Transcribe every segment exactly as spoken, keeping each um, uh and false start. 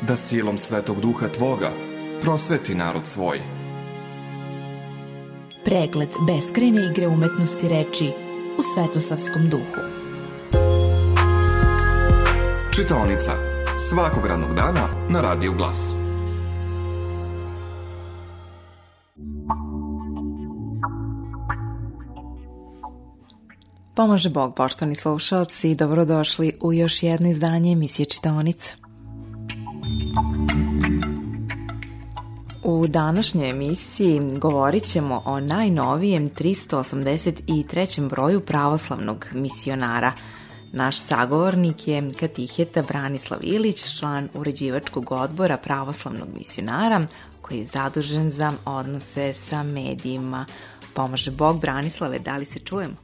da silom Svetog Duha Tvoga prosveti narod svoj. Pregled beskrajne igre umetnosti reči u Svetosavskom duhu. Čitaonica svakog radnog dana na Radiju Glas. Pomože Bog, poštovani slušalci, dobrodošli u još jedno izdanje emisije Čitaonica. U današnjoj emisiji govorit ćemo o najnovijem tristo osamdeset trećem broju pravoslavnog misionara. Naš sagovornik je katiheta Branislav Ilić, član uređivačkog odbora pravoslavnog misionara, koji je zadužen za odnose sa medijima. Pomože Bog, Branislave, da li se čujemo?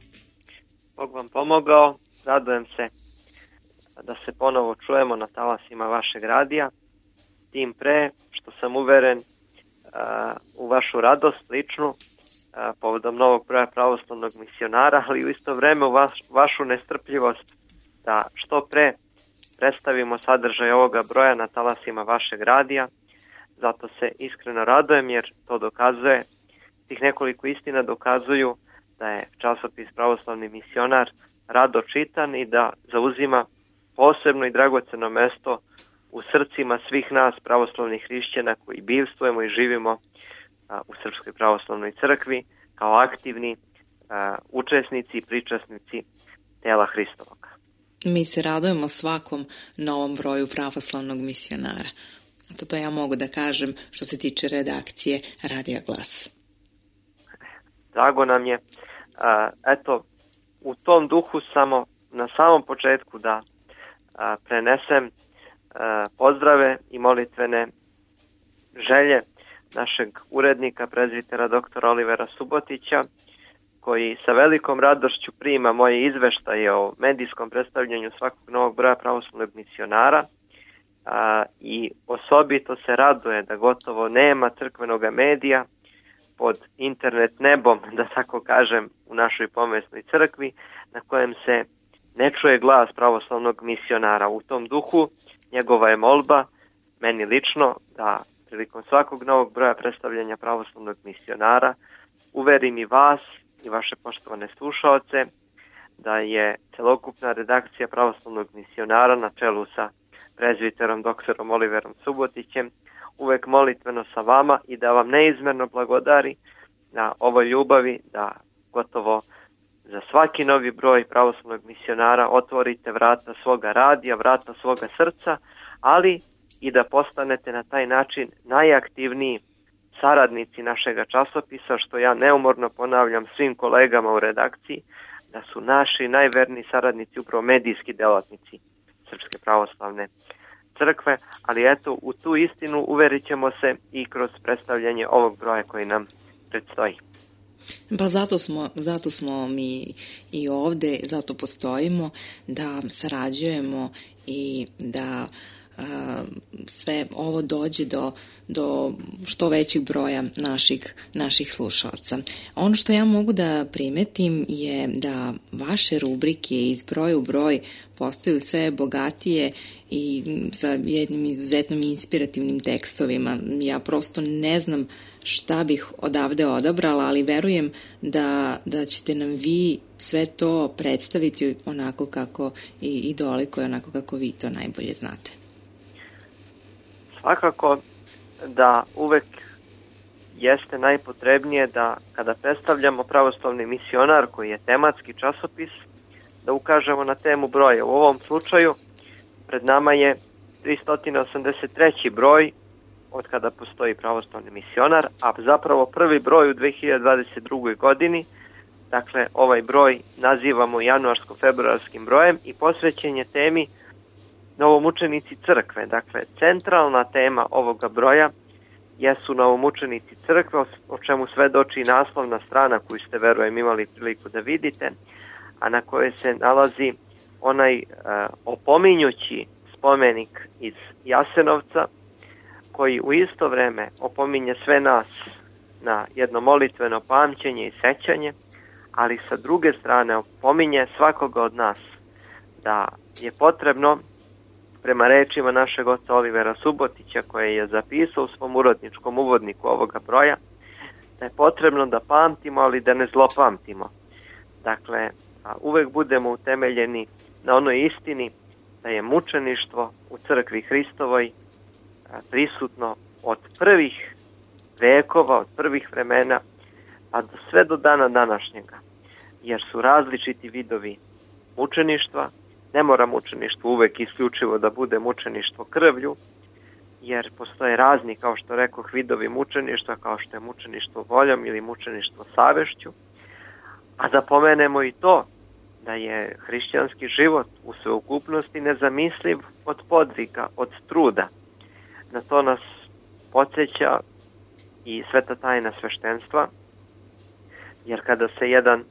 Bog vam pomogao, radujem se da se ponovo čujemo na talasima vašeg radija, tim pre što sam uveren uh, u vašu radost ličnu uh, povodom novog broja pravoslavnog misionara, ali u isto vreme u vaš, vašu nestrpljivost da što pre predstavimo sadržaj ovoga broja na talasima vašeg radija. Zato se iskreno radujem jer to dokazuje, tih nekoliko istina dokazuju da je časopis Pravoslavni misionar rado čitan i da zauzima posebno i dragoceno mesto u srcima svih nas pravoslavnih hrišćana koji bivstvujemo i živimo a, u Srpskoj pravoslavnoj crkvi kao aktivni a, učesnici i pričasnici tela Hristovog. Mi se radujemo svakom novom broju pravoslavnog misionara. A to ja mogu da kažem što se tiče redakcije Radija Glas. Drago nam je. Eto, u tom duhu samo na samom početku da prenesem pozdrave i molitvene želje našeg urednika, prezbitera doktora Olivera Subotića, koji sa velikom radošću prima moje izveštaje o medijskom predstavljanju svakog novog broja pravoslavnog misionara i osobito se raduje da gotovo nema crkvenog medija pod internet nebom, da tako kažem, u našoj pomesnoj crkvi, na kojem se ne čuje glas pravoslavnog misionara. U tom duhu njegova je molba, meni lično, da prilikom svakog novog broja predstavljanja pravoslavnog misionara uverim i vas i vaše poštovane slušaoce da je celokupna redakcija pravoslavnog misionara na čelu sa prezbiterom doktorom Oliverom Subotićem uvek molitveno sa vama i da vam neizmerno blagodari na ovoj ljubavi da gotovo za svaki novi broj pravoslavnog misionara otvorite vrata svoga radija, vrata svoga srca, ali i da postanete na taj način najaktivniji saradnici našega časopisa, što ja neumorno ponavljam svim kolegama u redakciji, da su naši najverniji saradnici upravo medijski delatnici Srpske pravoslavne crkve, ali eto, u tu istinu uverit ćemo se i kroz predstavljanje ovog broja koji nam predstoji. Pa zato smo, zato smo mi i ovde, zato postojimo, da sarađujemo i da uh, sve ovo dođe do, do što većeg broja naših, naših slušalaca. Ono što ja mogu da primetim je da vaše rubrike iz broja u broj postaju sve bogatije i sa jednim izuzetno inspirativnim tekstovima. Ja prosto ne znam šta bih odavde odabrala, ali verujem da, da ćete nam vi sve to predstaviti onako kako i, i doliko je onako kako vi to najbolje znate. Svakako da uvek jeste najpotrebnije da kada predstavljamo pravoslavni misionar koji je tematski časopis, da ukažemo na temu broja. U ovom slučaju pred nama je tristo osamdeset treći broj od kada postoji pravoslavni misionar, a zapravo prvi broj u dve hiljade dvadeset drugoj. godini. Dakle, ovaj broj nazivamo januarsko-februarskim brojem i posvećen je temi novomučenici crkve. Dakle, centralna tema ovoga broja jesu novomučenici crkve, o čemu svedoči naslovna strana koju ste, verujem, imali priliku da vidite, a na kojoj se nalazi onaj uh, opominjući spomenik iz Jasenovca, koji u isto vreme opominje sve nas na jedno molitveno pamćenje i sećanje, ali sa druge strane opominje svakoga od nas da je potrebno prema rečima našeg oca Olivera Subotića, koje je zapisao u svom urodničkom uvodniku ovoga broja, da je potrebno da pamtimo, ali da ne zlopamtimo. Dakle, uvek budemo utemeljeni na onoj istini da je mučeništvo u crkvi Hristovoj prisutno od prvih vekova, od prvih vremena, pa do sve do dana današnjega. Jer su različiti vidovi mučeništva. Ne mora mučeništvo uvek isključivo da bude mučeništvo krvlju, jer postoje razni, kao što rekoh, vidovi mučeništva, kao što je mučeništvo voljom ili mučeništvo savešću. A da pomenemo i to da je hrišćanski život u sveukupnosti nezamisliv od podvika, od truda. Na to nas podsjeća i sveta tajna sveštenstva, jer kada se jedan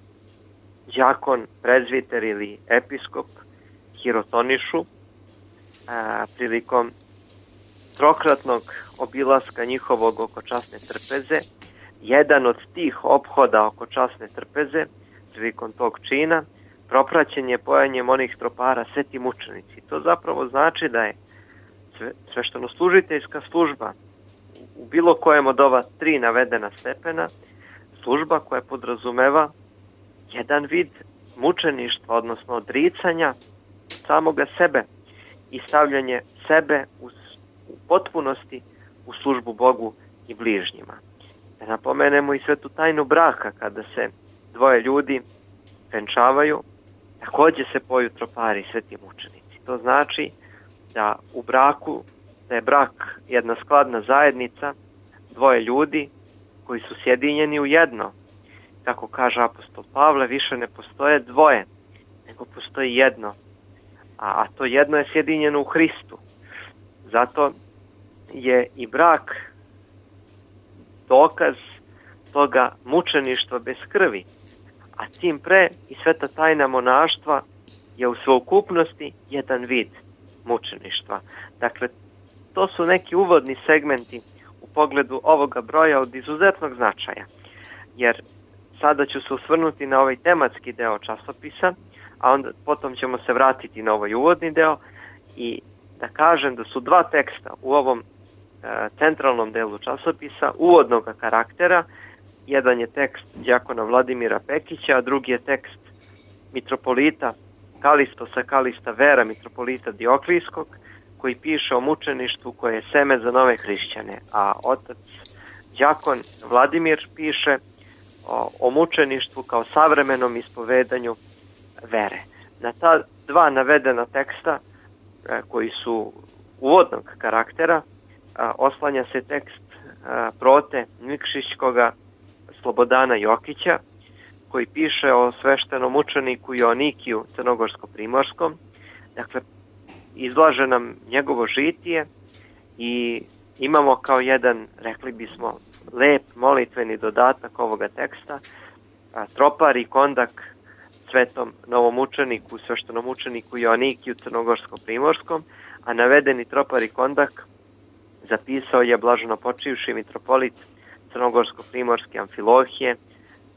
đakon, prezviter ili episkop hirotonišu a, prilikom trokratnog obilaska njihovog oko časne trpeze, jedan od tih ophoda oko časne trpeze prilikom tog čina propraćen je pojanjem onih tropara sveti mučenici. To zapravo znači da je sveštenoslužiteljska služba u bilo kojem od ova tri navedena stepena služba koja podrazumeva jedan vid mučeništva, odnosno odricanja samoga sebe i stavljanje sebe u, u potpunosti u službu Bogu i bližnjima. Da napomenemo i svetu tajnu braka, kada se dvoje ljudi venčavaju, takođe se poju tropari sveti mučenici. To znači da u braku, da je brak jedna skladna zajednica, dvoje ljudi koji su sjedinjeni u jedno. Kako kaže apostol Pavle, više ne postoje dvoje, nego postoji jedno. A, a to jedno je sjedinjeno u Hristu. Zato je i brak dokaz toga mučeništva bez krvi. A tim pre i sveta tajna monaštva je u sveukupnosti jedan vid mučeništva. Dakle, to su neki uvodni segmenti u pogledu ovoga broja od izuzetnog značaja. Jer sada ću se osvrnuti na ovaj tematski deo časopisa, a onda potom ćemo se vratiti na ovaj uvodni deo i da kažem da su dva teksta u ovom e, centralnom delu časopisa uvodnog karaktera. Jedan je tekst đakona Vladimira Pekića, a drugi je tekst mitropolita Kalistosa Kalista Vera, mitropolita Dioklijskog, koji piše o mučeništvu koje je seme za nove hrišćane, a otac đakon Vladimir piše o, o mučeništvu kao savremenom ispovedanju vere. Na ta dva navedena teksta e, koji su uvodnog karaktera a, oslanja se tekst a, prote Nikšićkoga Slobodana Jokića, koji piše o sveštenom mučeniku Joanikiju crnogorsko-primorskom. Dakle, izlaže nam njegovo žitije i imamo kao jedan, rekli bismo, lep molitveni dodatak ovoga teksta, a, tropar i kondak svetom novomučeniku, sveštenom mučeniku Joanikiju crnogorsko-primorskom, a navedeni tropar i kondak zapisao je blaženo počivši mitropolit crnogorsko-primorske Amfilohije,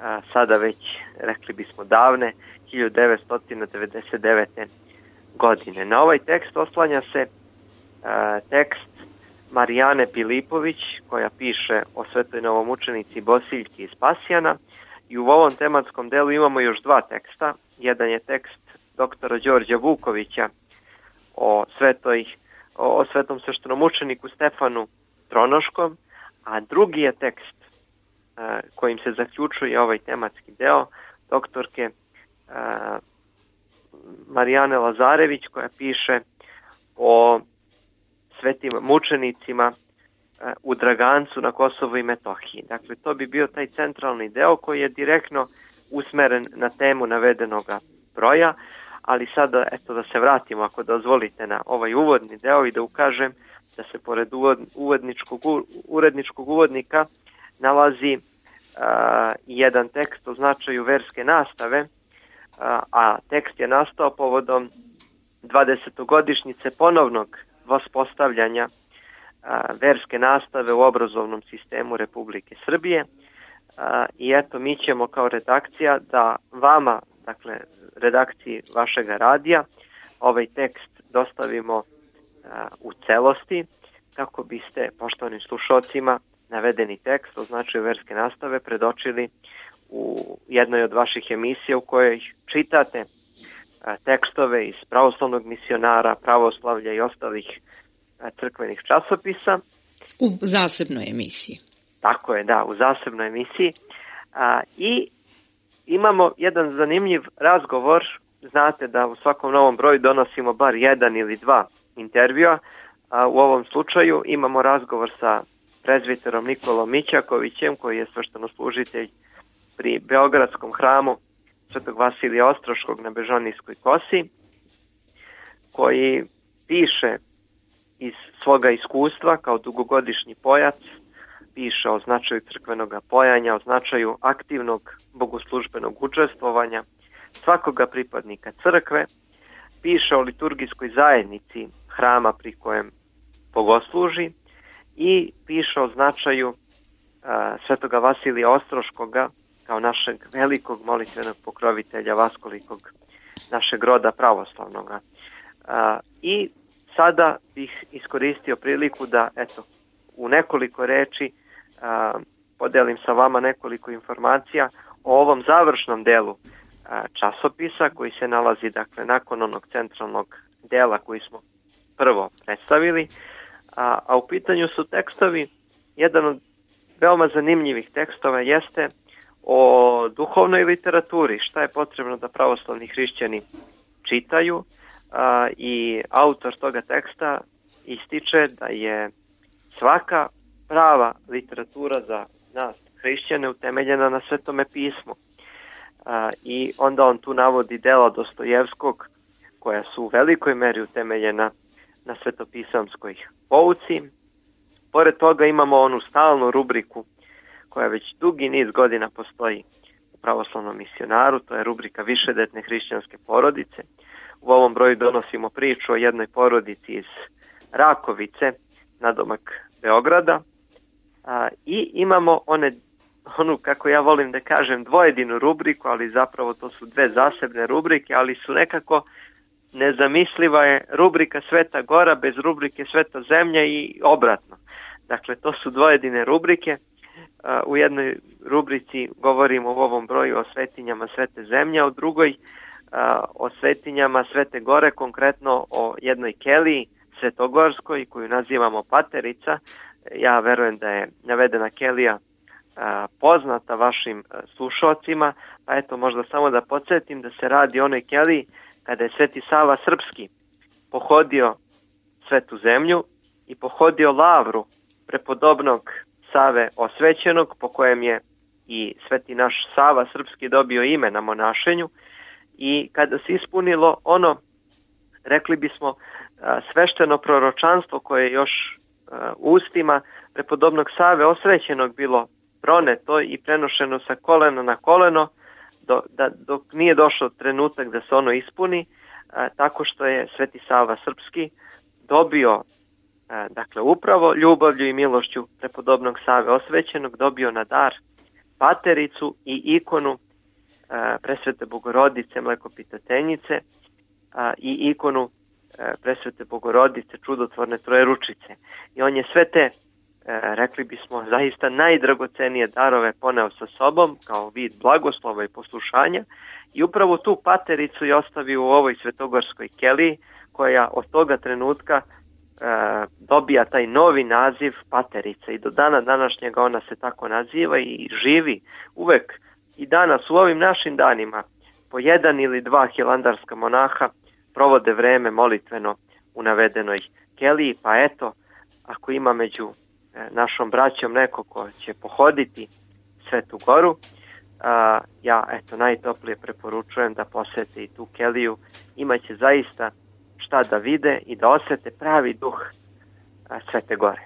a, sada već, rekli bismo, davne, hiljadu devetsto devedeset devete. godine. Na ovaj tekst oslanja se a, tekst Marijane Pilipović, koja piše o svetoj novomučenici Bosiljki iz Pasjana, i u ovom tematskom delu imamo još dva teksta. Jedan je tekst doktora Đorđa Vukovića o, svetoj, o, o svetom sveštenom mučeniku Stefanu Tronoškom, a drugi je tekst a, kojim se zaključuje ovaj tematski deo doktorke a, Marijane Lazarević, koja piše o svetim mučenicima a, u Dragancu na Kosovu i Metohiji. Dakle, to bi bio taj centralni deo koji je direktno usmeren na temu navedenoga broja, ali sada, eto, da se vratimo, ako dozvolite, na ovaj uvodni deo i da ukažem da se pored uvodničkog, uredničkog uvodnika nalazi a, jedan tekst o značaju verske nastave, a, a tekst je nastao povodom dvadesetogodišnjice ponovnog vaspostavljanja a, verske nastave u obrazovnom sistemu Republike Srbije. A, I eto, mi ćemo kao redakcija da vama, dakle redakciji vašega radija, ovaj tekst dostavimo u celosti, kako biste poštovanim slušalcima navedeni tekst o značaju verske nastave predočili u jednoj od vaših emisija u kojoj čitate tekstove iz pravoslavnog misionara, pravoslavlja i ostalih crkvenih časopisa. U zasebnoj emisiji. Tako je, da, u zasebnoj emisiji. A, I imamo jedan zanimljiv razgovor. Znate da u svakom novom broju donosimo bar jedan ili dva intervjua. A u ovom slučaju imamo razgovor sa prezbiterom Nikolom Mićakovićem, koji je sveštenoslужitelj pri Beogradskom hramu Svetog Vasilija Ostroškog na Bežanijskoj kosi, koji piše iz svoga iskustva kao dugogodišnji pojac, piše o značaju crkvenog pojanja, o značaju aktivnog bogoslužbenog učestvovanja svakoga pripadnika crkve, piše o liturgijskoj zajednici hrama pri kojem bogosluži i piše o značaju a, Svetoga Vasilija Ostroškoga kao našeg velikog molitvenog pokrovitelja vaskolikog našeg roda pravoslavnog. A, I sada bih iskoristio priliku da eto u nekoliko reči a, podelim sa vama nekoliko informacija o ovom završnom delu a, časopisa koji se nalazi dakle nakon onog centralnog dela koji smo prvo predstavili, a, a u pitanju su tekstovi. Jedan od veoma zanimljivih tekstova jeste o duhovnoj literaturi, šta je potrebno da pravoslavni hrišćani čitaju, a, i autor toga teksta ističe da je svaka prava literatura za nas hrišćane utemeljena na Svetome pismu. A, I onda on tu navodi dela Dostojevskog koja su u velikoj meri utemeljena na svetopisamskoj pouci. Pored toga imamo onu stalnu rubriku koja već dugi niz godina postoji u pravoslavnom misionaru, to je rubrika Višedetne hrišćanske porodice. U ovom broju donosimo priču o jednoj porodici iz Rakovice, nadomak Beograda, a, i imamo one, onu, kako ja volim da kažem, dvojedinu rubriku, ali zapravo to su dve zasebne rubrike, ali su nekako nezamisliva je rubrika Sveta Gora bez rubrike Sveta Zemlja i obratno. Dakle, to su dvojedine rubrike. U jednoj rubrici govorimo u ovom broju o svetinjama Svete Zemlje, a u drugoj o svetinjama Svete Gore, konkretno o jednoj keliji Svetogorskoj koju nazivamo Paterica. Ja verujem da je navedena kelija poznata vašim slušalcima, pa eto možda samo da podsjetim da se radi o onoj keliji kada je Sveti Sava Srpski pohodio Svetu Zemlju i pohodio lavru prepodobnog Save Osvećenog, po kojem je i Sveti naš Sava Srpski dobio ime na monašenju, i kada se ispunilo ono, rekli bismo, svešteno proročanstvo koje je još ustima prepodobnog Save Osvećenog bilo proneto i prenošeno sa kolena na koleno, do, da, dok nije došao trenutak da se ono ispuni, a, tako što je Sveti Sava Srpski dobio, a, dakle upravo ljubavlju i milošću prepodobnog Save Osvećenog, dobio na dar Patericu i ikonu a, Presvete Bogorodice Mlekopitateljice a, i ikonu a, Presvete Bogorodice Čudotvorne Trojeručice. I on je sve te, rekli bismo, zaista najdragocenije darove poneo sa sobom kao vid blagoslova i poslušanja i upravo tu Patericu je ostavio u ovoj svetogorskoj keliji, koja od toga trenutka e, dobija taj novi naziv Paterica i do dana današnjega ona se tako naziva i živi uvek i danas u ovim našim danima. Po jedan ili dva hilandarska monaha provode vreme molitveno u navedenoj keliji, pa eto, ako ima među našom braćom neko ko će pohoditi Svetu Goru, a, ja eto najtoplije preporučujem da posete i tu keliju. Imaće zaista šta da vide i da osete pravi duh a, Svete Gore.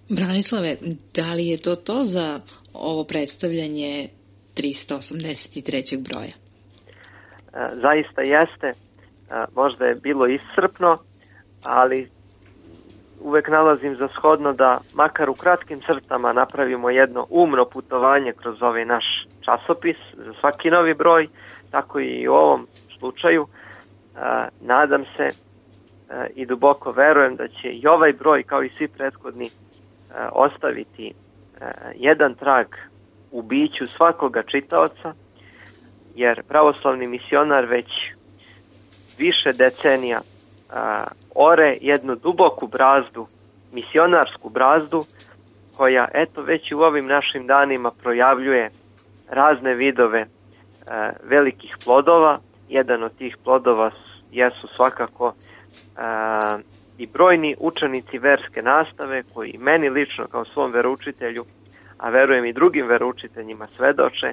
Branislave, da li je to to za ovo predstavljanje trista osamdeset trećeg broja? A, zaista jeste. A, možda je bilo iscrpno, ali uvek nalazim za shodno da makar u kratkim crtama napravimo jedno umno putovanje kroz ovaj naš časopis za svaki novi broj, tako i u ovom slučaju. nadam se i duboko verujem da će i ovaj broj, kao i svi prethodni, ostaviti jedan trag u biću svakoga čitaoca, jer pravoslavni misionar već više decenija ore jednu duboku brazdu, misionarsku brazdu, koja eto već u ovim našim danima projavljuje razne vidove e, velikih plodova. Jedan od tih plodova jesu svakako e, i brojni učenici verske nastave koji meni lično kao svom veroučitelju, a verujem i drugim veroučiteljima, svedoče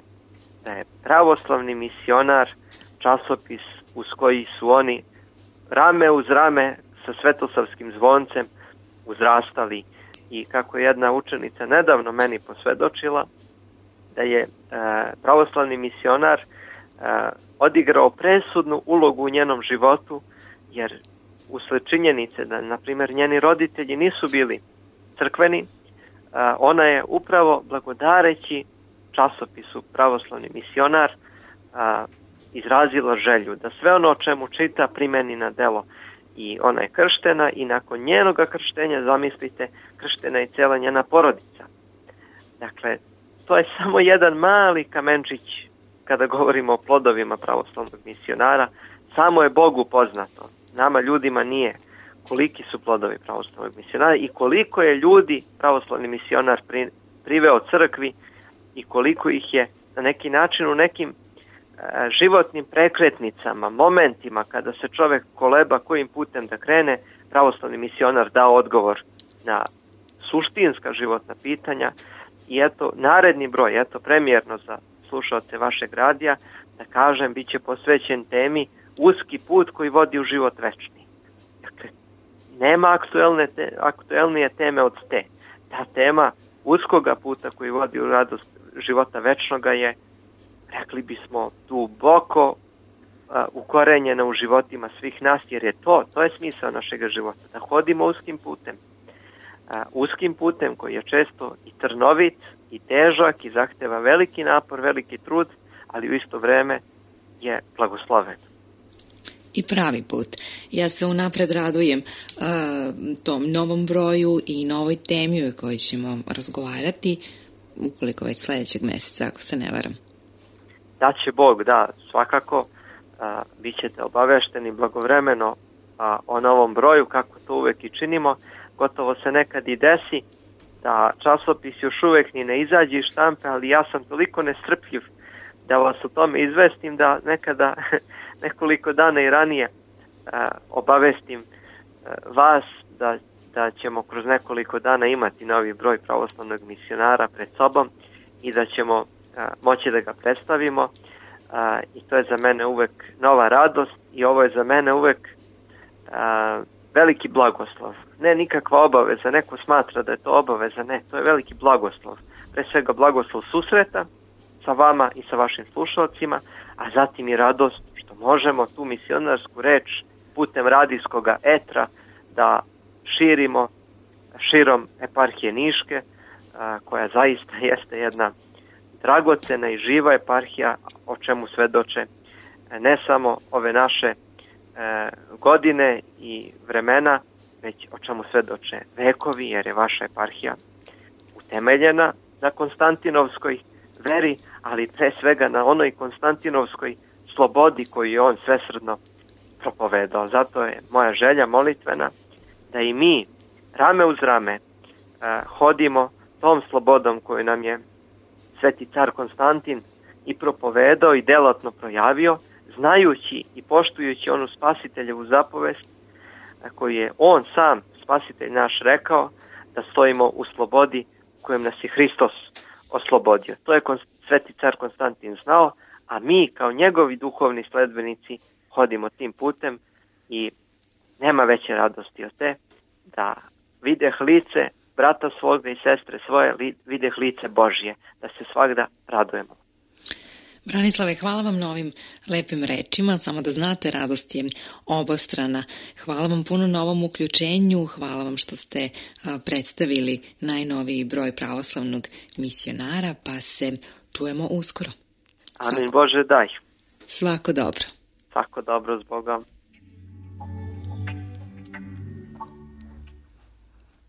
da je pravoslavni misionar časopis uz koji su oni rame uz rame sa Svetosavskim zvoncem uzrastali. I kako je jedna učenica nedavno meni posvedočila, da je e, pravoslavni misionar e, odigrao presudnu ulogu u njenom životu, jer usled činjenice da, na primjer, njeni roditelji nisu bili crkveni, e, ona je upravo blagodareći časopisu Pravoslavni misionar e, izrazila želju da sve ono o čemu čita primeni na delo. I ona je krštena i nakon njenoga krštenja, zamislite, krštena je cijela njena porodica. Dakle, to je samo jedan mali kamenčić kada govorimo o plodovima pravoslavnog misionara. Samo je Bogu poznato. Nama ljudima nije koliki su plodovi pravoslavnog misionara i koliko je ljudi pravoslavni misionar pri, priveo crkvi i koliko ih je na neki način u nekim životnim prekretnicama, momentima kada se čovjek koleba kojim putem da krene, pravoslavni misionar dao odgovor na suštinska životna pitanja. I eto, naredni broj, eto premijerno za slušaoce vašeg radija, da kažem, bit će posvećen temi uski put koji vodi u život večni. Dakle, nema aktuelne te, aktuelnije teme od te. Ta tema uskoga puta koji vodi u radost života večnoga je, rekli bismo, duboko uh, ukorenjena u životima svih nas, jer je to, to je smisao našeg života, da hodimo uskim putem. Uh, uskim putem koji je često i trnovit, i težak, i zahteva veliki napor, veliki trud, ali u isto vreme je blagosloven. I pravi put. Ja se unapred radujem uh, tom novom broju i novoj temi o kojoj ćemo razgovarati, ukoliko već sljedećeg mjeseca, ako se ne varam. Da će Bog, da, svakako a, bit ćete obavešteni blagovremeno a, o novom broju, kako to uvek i činimo. Gotovo se nekad i desi da časopis još uvek ni ne izađe iz štampe, ali ja sam toliko nestrpljiv da vas o tome izvestim da nekada nekoliko dana i ranije a, obavestim a, vas da, da ćemo kroz nekoliko dana imati novi broj pravoslavnog misionara pred sobom i da ćemo moći da ga predstavimo, a, i to je za mene uvek nova radost i ovo je za mene uvek a, veliki blagoslov. Ne nikakva obaveza, neko smatra da je to obaveza, ne, to je veliki blagoslov. Pre svega blagoslov susreta sa vama i sa vašim slušalcima, a zatim i radost što možemo tu misionarsku reč putem radijskoga etra da širimo širom eparhije Niške, a, koja zaista jeste jedna dragocena i živa eparhija, o čemu svedoče ne samo ove naše e, godine i vremena, već o čemu svedoče vekovi, jer je vaša eparhija utemeljena na Konstantinovskoj veri, ali pre svega na onoj Konstantinovskoj slobodi koju je on svesrdno propovedao. Zato je moja želja molitvena da i mi rame uz rame e, hodimo tom slobodom koju nam je Sveti car Konstantin i propovedao i delatno projavio, znajući i poštujući onu spasiteljevu zapovest koju je on sam, spasitelj naš, rekao, da stojimo u slobodi kojem nas je Hristos oslobodio. To je Sveti car Konstantin znao, a mi kao njegovi duhovni sledbenici hodimo tim putem i nema veće radosti od te da videh lice brata svoga i sestre svoje, videh lice Božje, da se svakda radujemo. Branislave, hvala vam na ovim lepim rečima, samo da znate, radost je obostrana. Hvala vam puno na ovom uključenju, hvala vam što ste a, predstavili najnoviji broj pravoslavnog misionara, pa se čujemo uskoro. Amin, Bože daj. Svako dobro. Svako dobro, s Bogom.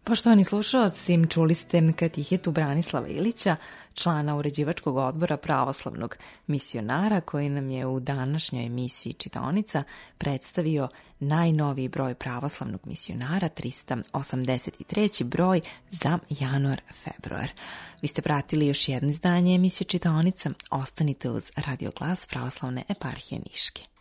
Poštovani slušalci, čuli ste katehetu Branislava Ilića, člana uređivačkog odbora pravoslavnog misionara, koji nam je u današnjoj emisiji Čitaonica predstavio najnoviji broj pravoslavnog misionara, trista osamdeset treći broj za januar-februar. Vi ste pratili još jedno izdanje emisije Čitaonica. Ostanite uz Radio Glas Pravoslavne eparhije Niške.